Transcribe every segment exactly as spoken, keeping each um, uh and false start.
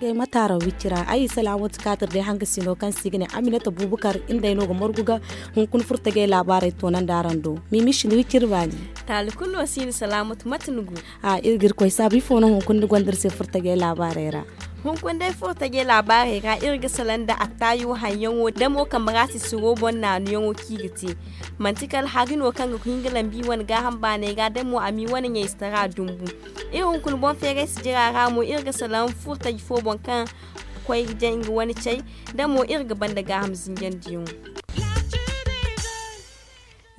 Mataara wicira ay isa laamatu kaatir day hanga sino kaŋ se i ga ne aminata bubukar. Nda ay no ga margu ga hunkuna furtajey laabaarey toonandi araŋ do. Mimi si ni wiciri baani. Taali kulu no si ni salaamatu mate ni go? A iri ga iri koy saabu ifo no hunkuna ni gonda iri se furtajey laabaarey ra? Hunkuna day furtajey laabaarey ra iri ga salaŋ nda attaayo haŋyaŋo damo kambe ra sisiro boŋ naanuyaŋo kaŋ i ga te. Manti kala hari no kaŋ ga hin ga lambi wane gaaham baaney ra damo a m'i wane ɲayzitara dumbu. Iri hunkuna boŋ feeray sijira ra mo iri ga salaŋ furtaji fo boŋ kaŋ koy ga jaŋ nga wane cay. Damo iri ga banda gaaham zinjandiyaŋo.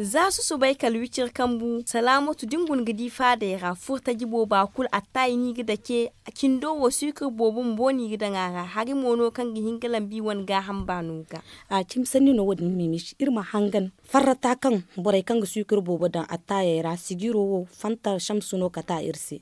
Za susubay kala wiciri kambu salaamatu da ni guna ga di faadey ra furtaji booba kulu attaayi no i ga dake. Cindo wo suukar boobo bumbo no i ga daŋ a ra hari mo no kaŋ ga hin ga lambi wane gaaham baano ga. A cimi sanni no wo- din mimici iri ma hangan farrata kaŋ borey kaŋ ga suukar boobo daŋ attaayey ra sijiro wo fanta samsu no kata iri se.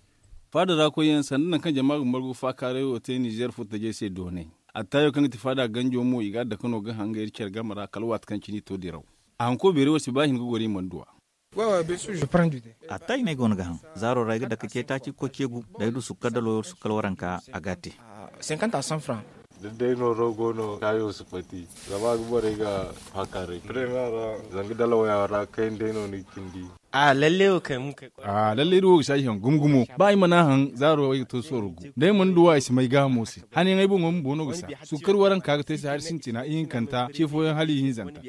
Faada ra koyyaŋ sanda nangu kaŋ jama ga margu faakaaray wo te nizeer furtajey se doonay. Attaayo kaŋ ga ti faada ganjo mo i ga a dake no ga hanga iri care game ra kala waati kaŋ cine i to diraw. A hanko beeri wo si ba hin ga goro i mana du a. Attaayi no ay go no ga haŋ. Zaaro ra ay ga dake ce taaci ga koy ceegu da ay du sukkar dalo sukkar waranka a ga a te. Da day no rogo no kaayo si pati zama a ga borey ga faakaaray premier ra. Zanga dala waya ra kayna day no ni ga cindi. A lalle wo kay mun kay. A lalle iri wo ga si ay haŋ gumo gumo ba ay mana haŋ zaaro ay ga to sooro gu da ay mana du wa ay si may gaahamo se. Hanayaŋ ay boŋo bumbo no ga sa sukkar waranka ga te ay se hari sintina ihinkanta ce fooyaŋ hala ihinzanta.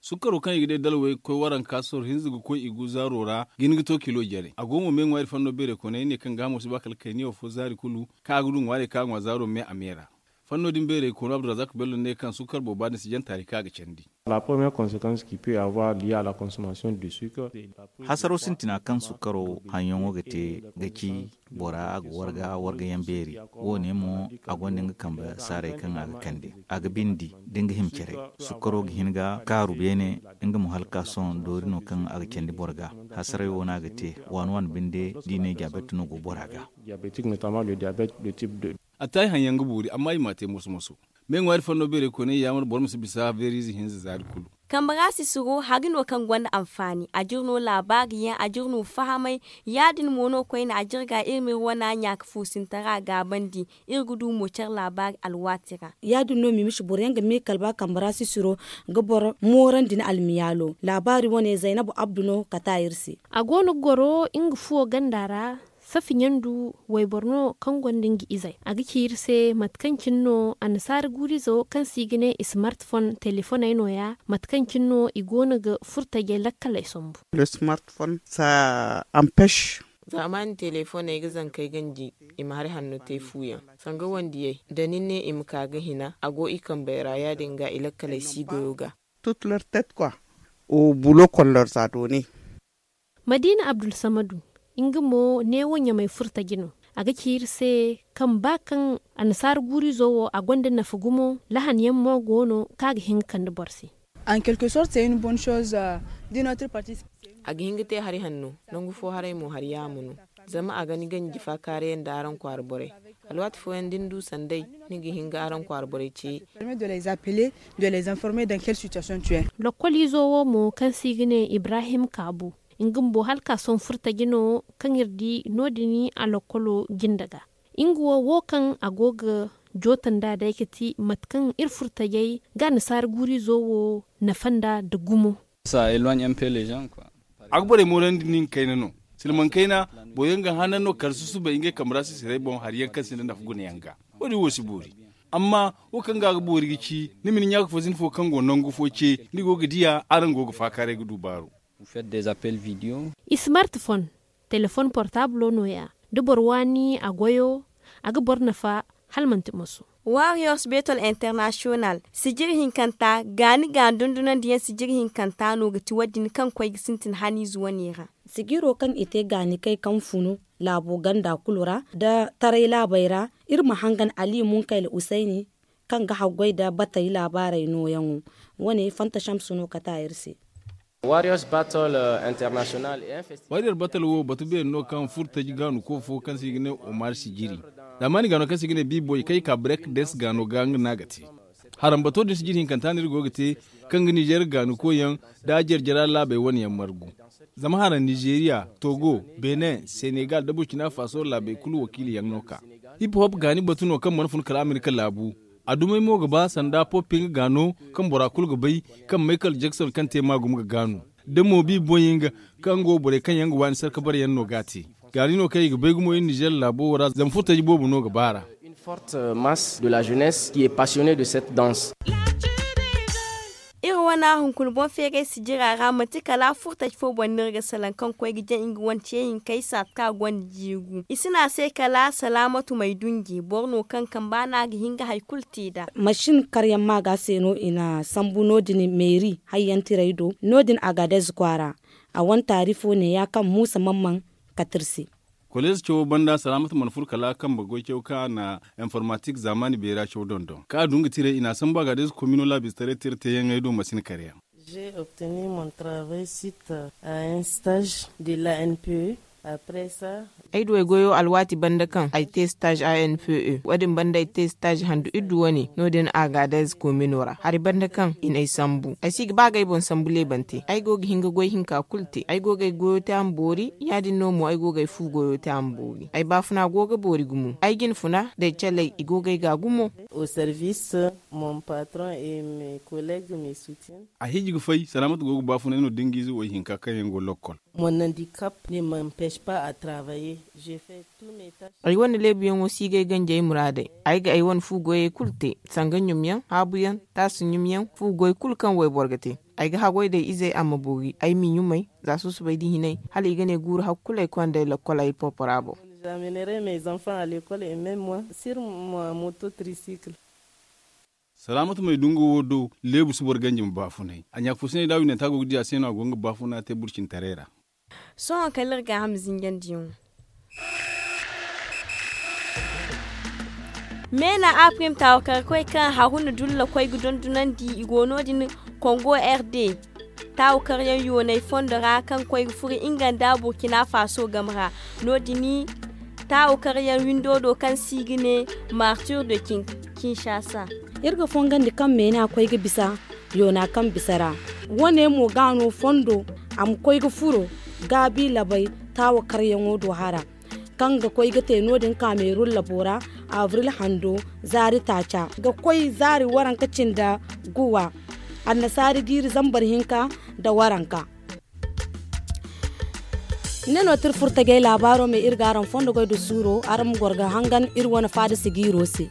Sukkaro kaŋ i ga day dalwey ga koy waranka soro hinza ga koy i gu zaaro ra ga hin ga to kilo jare a go mo me ŋwaari fanno beeray koonay ne kaŋ gaahamo si ba kala kayniya fo zaari kulu. Kaŋ a ga du ŋwaarey kaŋ a ŋwa zaaro me a me ra. Fanno din beeray koonu abdurazak bello ne kaŋ sukkar booba din si janta hari kaŋ a ga candi. La première conséquence qui peut avoir liée à la consommation de sucre. Hasaro sintina kaŋ sukkaro haŋyaŋo ga te ga ci bora a ga warga wargayaŋ beeri. Wo-ne mo a gonda nga kambe saaray kaŋ a ga kande a ga bindi da nga hima care. Sukkaro ga hin ga kaaru beene nga mo hala ka sohõ doori no kaŋ a ga candi boro ga. Hasaray wo no a ga te waani waani binde da i ne diabet no go bora ga. Attaayi haŋ yaŋ ga boori amma i m'a te moso moso. Me ŋwaari fanno beeray koonay yaamar boro ma si bisa beeriize hinza zaari kulu. Kambe ra sisiro hari no kaŋ gonda anfaani a jir no laabaari yaŋ a jir no fahamay. Ya- din mo no koyne a jir ga iri ma iri wana ɲaaka fuusintara gaabandi. Iri ga du mo care laabaari alwaati ra. Ya- din no mimisi boro yaŋ ga me kala ba kambe ra sisiro ga boro moorandi ni almiyaalo laabaari wane zaynabu abdu no kata iri se. A go no ga goro nga fuwo ganda ra. Safi ɲandu wayboro no kaŋ gonda nga izey a ga ci iri se mate kaŋ cine no annasaara guurizo kaŋ se i ga ne smart phone telefoney nooya mate kaŋ cine no i go no ga furtajey lakkaley sambu. Smart phone sa ampêche. Zaamaani telefoney ga zankey ganji i ma hari hanno te fu yaŋ. Sanga wandiyey da ni ne i ma ka ga hina a go i kambey ra ya- din ga i lakkaley si goyo ga. Tout leur tête quoi. Au boulot qu'on leur a donné. Madiina abdulsamadu nga mo neewo ɲamey furtaji no. A ga ci iri se kaŋ ba kaŋ annasaara guurizo wo a gonda nafa gumo lahan yaŋ mo go no kaŋ a ga hin ga kande boro se. En quelque sorte c'est une bonne chose. De notre partie. A ga hin ga te hari hanno. Nangu fo haray mo hari yaamo no. Zama a ga ni ganji faakaaray yaŋ nda araŋ kwaara borey. Alwaati fooyaŋ da ni du sanday ni ga hin ga araŋ kwaara borey ce. Permet de les appeler, de les informer dans quelle situation tu es. Lokkoliizo wo mo kaŋ se i ga ne ibrahim kaabu. Nga bumbo hala ka sohõ furtaji no kaŋ iri di no- din a lokkolo jinde ga. Nga wo wo kaŋ a go ga jooto nd'a day ga ti mate kaŋ iri furtajey ga annasaara guuriizo wo nafa nd'a nda gumo. A ga borey moorandi nin kayna no. Silmaŋ kayna boro yaŋ ga hanan no kala susubay ngey kambe ra sisirey boŋ hari yaŋ kaŋ sinda nafa guna yaŋ ga. Wo- din wo si boori. Amma wo kaŋ ga a ga boori ga ci ni ma ni ɲaaka fo zina fo kaŋ go nangu fo ce ni go ga diya araŋ go ga faakaaray ga du baaru. Smart phone, telefon portaablo nooya. Da boro waani a goyo a ga boro nafa hala manti moso. Warriors betol international sijiri hinkanta gaani gaani dundunandiyaŋ sijiri hinkanta no ga ti wo- din kaŋ koy ga sintin haniize wane ra. Sijiro kaŋ i te gaanikey kaŋ funu laabo ganda kulu ra nda taray laabey ra. Iri ma hangan ali munkayla usayni kaŋ ga haggoy nda batey laabaarey nooyaŋo. Wane fanta samsu no kata iri se. Warriors battle international. Warrior battle wo batu beeri no kaŋ furtaji gaanuko fo kaŋ se i ga ne omar sijiri. Zaamaani gaano kaŋ se i ga ne biiboy kaŋ i ka break dance gaano ga nga no a ga te. Harambato din sijiri hinkanta no iri go ga te kaŋ ga nizer gaanuko yaŋ nda jarjara laabey wane yaŋ margu. Zama hara nizeeriya, togo, benin, senegal nda burkina faso laabey kulu wakiili yaŋ no ka. Hip hop gaani batu no kaŋ mana fun kala amerika laabu. A dumey mo ga ba sanda pop nga gaano, kaŋ bora kulu ga bay, kaŋ michael jackson kaŋ te maagum ga gaanu. Da mo bi boy nga, kaŋ go borey kaŋ yaŋ ga waani sarka bare yaŋ no ga a te. Gaani no kaŋ i ga bay gumo iri nizer laabo wo ra zama furtaji boobo no ga baar'a. Une forte masse de la jeunesse qui est passionnée de cette danse. Iri wana hunkuna boŋ feeray sijira ra manti kala furtaji fo boŋ no iri ga salaŋ kaŋ koy ga jaŋ nga wane ce hinkay saati kaŋ a gonda jiigu i si ne a se kala salaamatu may dunji boro no kaŋ kamba no a ga hin ga hari kulu te nd'a. Masin karyaŋ maaga se no i na sambu no- din meeri hayyantiray do no- din agadez kwaara. A wane taari fo neeya kaŋ muusa mamman kate iri se. Koleez cawo banda salaamatu mana furo kala kambe goy caw kaŋ a na informatik zaamaani beera caw dondon kaŋ a du nga tiray i n'a sambu a ga day za komino laabistaray tira teeyaŋey do masin kare yaŋ. J'ai obtenu mon travail suite à un stage de l'anpe. Après ça. Ay du ay goyo alwaati banda kaŋ ay te stage anpe wo- din banda ay te stage handu iddu wane no- din agadez komino ra hari banda kaŋ i n'ay sambu ay si ga ba ga ay boŋ sambu leebante ay go ga hin ga goy hinka kulu te ay go ga ay goyo te a ma boori ya- din no mo ay go ga ay fu goyo te a ma boori ay baafuna go ga boori gumo ay jine funa da ay calay i go ga ay ga gumo. Au service mon patron et mes collègues me soutiennent. A hiiji ga fay salaamatu go ga baafunay no da nga ize wo ay hinka kaŋ yaŋ go lokkol. Mon handicap ne m'empêche pas à travailler. J'ai fait tous mes tâches. Ay wane leebuyaŋo si ga ay ganjey muraadey ay ga ay wane fu goyey kulu te sanga ɲumyaŋ haabuyaŋ taasi ɲumyaŋ fu goy kulu kaŋ wayboro ga te. Ay ga haggoy day izey a ma boori ay m'i ɲumay za susubay da hinay hala i ga ne guuru hakku kulu ay konda ay lakkol ay porpora boŋ. J'amènerai mes enfants à l'école et même moi sur ma moto tricycle. Salaamatu may dunga wo do leebu si boro ganji ma baafunay a ɲaaka fo si ne da a winanta go ga di a se no a go nga baafuna te burcintaray ra. Sohõ kala iri gaaham zinjandiyaŋo. Meena aprim taawakarkoy kaŋ haruna dulla koy ga dondonandi i go no- din kongo rd. Taawakaryaŋ yoonay fondo ra kaŋ koy ga furo nga nda burkina faso game ra no- din. Taawakaryaŋ windo do kaŋ se i ga ne martir de kinshasa. Iri ga fongandi kaŋ meena koy ga bisa yoona kaŋ bisa ra. Wane mo ga no fondo a ma koy ga furo gaabi labay taawakaryaŋo do hara kaŋ ga koy ga te no- din kamerun labo ra abril hando zaari taaca ga koy zaari waranka cinda guwa annasaari jiiri zambar hinka nda waranka. Ne no ti iri furtajey laabaaro me iri ga araŋ fondo goy nda suuro araŋ ma goro ga hangan iri wane faada sijiiro se.